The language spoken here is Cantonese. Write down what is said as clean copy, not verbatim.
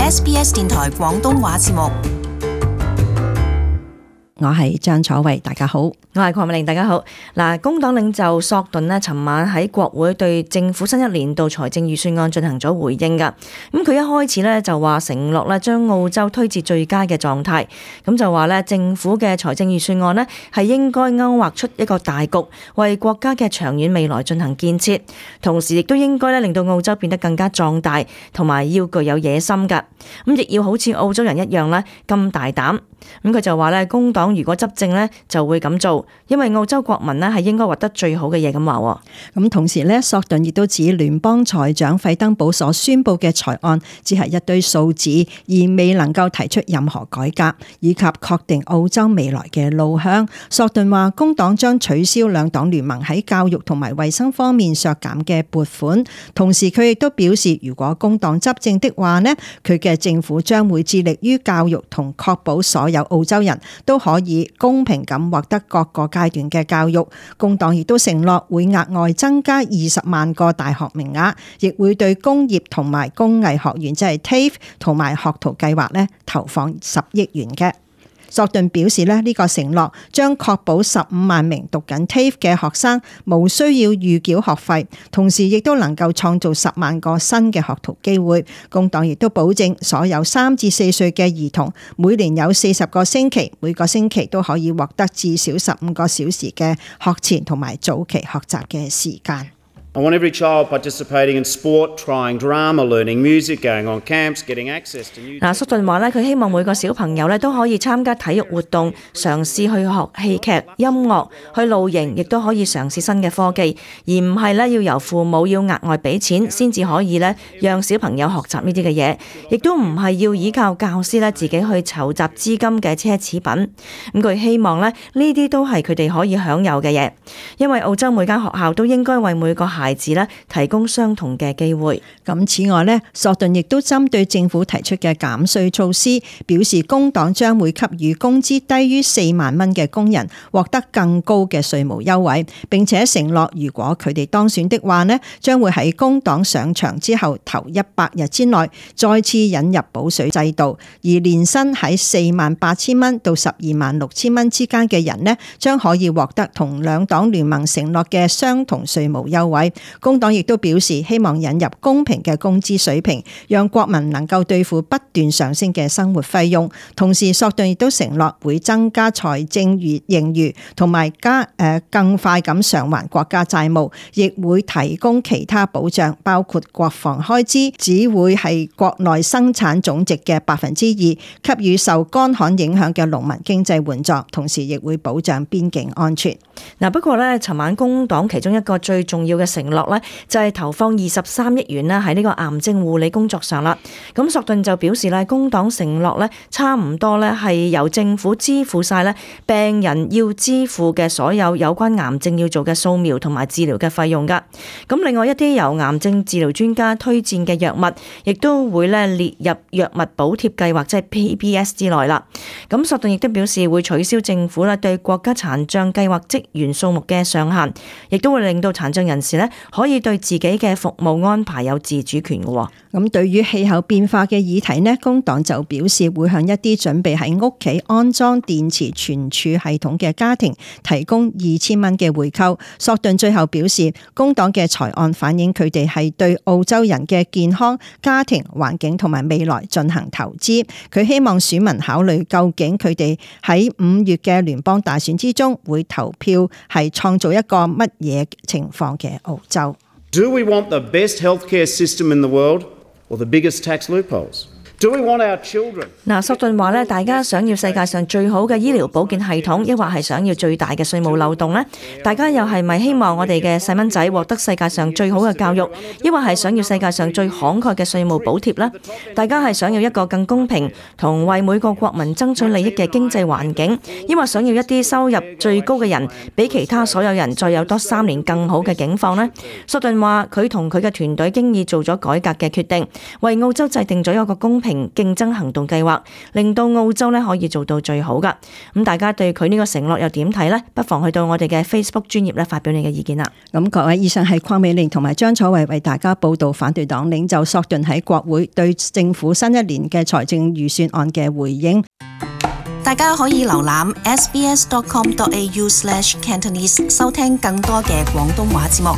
SBS 電台廣東話節目。我係張楚慧，大家好。我係鄺美玲，大家好。嗱，工黨領袖索頓呢，尋晚喺國會對政府新一年度財政預算案進行咗回應㗎。咁佢一開始呢就話承諾呢將澳洲推至最佳嘅狀態。咁就話呢政府嘅財政預算案呢係應該勾畫出一個大局，為國家嘅長遠未來進行建設，同時亦都應該呢令到澳洲變得更加壯大，同埋要具有野心㗎。咁亦要好似澳洲人一樣呢咁大膽。咁佢就話呢工黨如果執政呢就會咁做，因為澳洲國民呢係應該獲得最好嘅嘢咁話。咁同時呢，索頓亦都指聯邦財長費登堡所宣布嘅財案只係一堆數字，而未能夠提出任何改革以及確定澳洲未來嘅路向。索頓話工黨將取消兩黨聯盟喺教育同埋衛生方面削減嘅撥款，同時佢亦都表示如果工黨執政的話呢，佢嘅政府將會致力於教育同確保所有澳洲人都可以公平咁獲得各個階段嘅教育。工黨亦都承諾會額外增加20萬個大學名額，亦會對工業同埋工藝學院即係 TAFE 同埋學徒計劃咧投放10億元嘅。索頓表示呢個承諾將確保15萬名讀緊 TAFE 嘅學生無需要預繳學費，同時亦都能夠創造10萬個新嘅學徒機會。工黨亦都保證所有3至4歲嘅兒童每年有40個星期，每個星期都可以獲得至少15個小時嘅學前同埋早期學習嘅時間。I want every child participating in sport, trying drama, learning music, going on camps, getting access to new... 索頓話呢佢希望每個小朋友呢都可以參加體育活動，嘗試去學戲劇、音樂，去露營，亦都可以嘗試新嘅科技，而唔係呢要由父母要額外俾錢先至可以呢讓小朋友學習呢啲嘅嘢，亦都唔係要依靠教師呢自己去籌集資金嘅奢侈品。咁佢希望呢啲都係佢哋可以享有嘅嘢，因為澳洲每間學校都應該為每個孩子咧提供相同嘅機會。咁此外呢，索頓亦都針對政府提出嘅減稅措施，表示工黨將會給予工資低於4萬蚊嘅工人獲得更高嘅稅務優惠，並且承諾如果佢哋當選的話呢，將會喺工黨上場之後頭100日之內再次引入補稅制度，而年薪喺48000蚊到126000蚊之間嘅人呢，將可以獲得同兩黨聯盟承諾嘅相同稅務優惠。工黨亦都表示希望引入公平嘅工資水平，讓國民能夠對付不斷上升嘅生活費用。同時，索頓亦都承諾會增加財政盈餘，同埋更快咁償還國家債務，亦會提供其他保障，包括國防開支只會係國內生產總值嘅2%，給予受乾旱影響嘅農民經濟援助，同時亦會保障邊境安全。不過呢，尋晚工黨其中一個最重要嘅承諾呢，就係投放23億元呢喺呢個癌症護理工作上啦。咁索頓就表示呢，工黨承諾呢差唔多呢係由政府支付晒呢病人要支付嘅所有有關癌症要做嘅掃描同埋治療嘅費用噶。咁另外一啲由癌症治療專家推薦嘅藥物，亦都會呢列入藥物補貼計劃，即係 PBS 之內啦。咁索頓亦都表示會取消政府呢對國家殘障計劃職員數目嘅上限，亦都會令到殘障人士呢可以對自己嘅服務安排有自主權嘅。咁對於氣候變化嘅議題呢，工黨就表示會向一啲準備喺屋企安裝電池存儲系統嘅家庭提供2000蚊嘅回扣。索頓最後表示，工黨嘅財案反映佢哋係對澳洲人嘅健康、家庭、環境同埋未來進行投資。佢希望選民考慮究竟佢哋喺5月嘅聯邦大選之中會投票係創造一個乜嘢情況嘅澳洲。Do we want the best healthcare system in the world or the biggest tax loopholes? Do we want our children? 索頓話咧，大家想要世界上最好嘅醫療保健系統，抑或係想要最大嘅稅務漏洞呢？大家又係咪希望我哋嘅細蚊仔獲得世界上最好嘅教育，抑或係想要世界上最慷慨嘅稅務補貼呢？大家係想要一個更公平同為每個國民爭取利益嘅經濟環境，抑或想要一啲收入最高嘅人比其他所有人再有多3年更好嘅境況呢？索頓話佢同佢嘅團隊經已做咗改革嘅決定，為澳洲制定咗一個公平平競爭行動計劃，令到澳洲咧可以做到最好噶。咁大家對佢呢個承諾又點睇呢？不妨去到我哋嘅 Facebook 專頁咧發表你嘅意見啦。咁各位，以上係鄺美玲同埋張楚慧為大家報道反對黨領袖索頓喺國會對政府新一年嘅財政預算案嘅回應。大家可以瀏覽 sbs.com.au/Cantonese 收聽更多嘅廣東話節目。